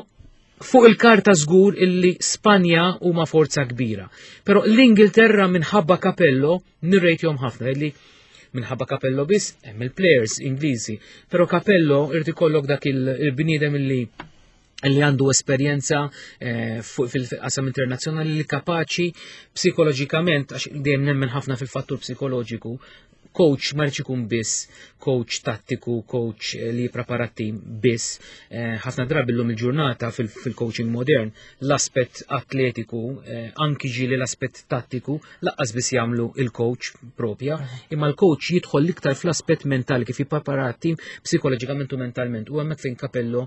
fuq il-karta żgur illi Spanja huma forza kbira. Però l-Ingilterra minħabba Capello nirrejtjhom ħafna, illi minħabba Capello biss, hemm il-players Ingliżi, però Capello irid ikollok dak il-bniedem illi li għandu esperjenza eh, fil-qasam internazzjonali, li kapaċi psikoloġikament, għax dejjem nemmen ħafna fil-fattur psikoloġiku. Coach ma jridx ikun biss coach tattiku, coach eh, li jipprepara tim biss. Eh, ħafna drabi llum il-ġurnata fil-coaching modern l-aspett atletiku, anki ġieli l-aspett tattiku, lanqas biss jagħmlu il-coach propja, imma l-coach jidħol l-iktar fl-aspett mentali, kif jipprepara tim psikoloġikament u mentalment. U hemmhekk fejn Capello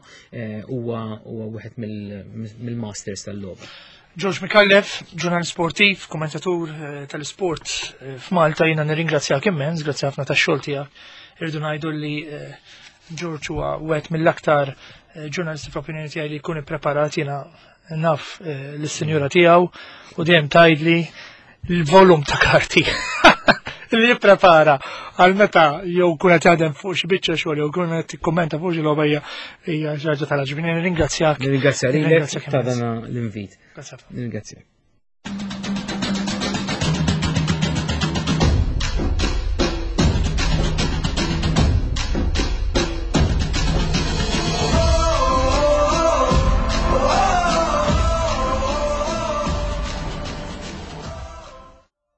huwa wieħed mill-masters tal-logħba. George Micallef, ġurnalist sportiv, kommentatur eh, tal-sport eh, f'Malta, jiena nirringrazzjak immens, grazzi ħafna tax-xogħol tiegħek. Irridu ngħidu li eh, George huwa wieħed mill-aktar ġurnalisti fl-opinjoni tiegħi li jkun ippreparat. Jiena naf lis-sinjura tiegħu u dejjem tgħidli l-volum ta' karti li jipprepara għal meta jew kun qed jaħdem fuq xi biċċa xogħol jew kun qed tikkummenta fuq xi logħba hija hija xi ħaġa tal-għaġeb. Nirringrazzjak. Nirringrazzja lilek ta' dan l-invit. Nirringrazzjak.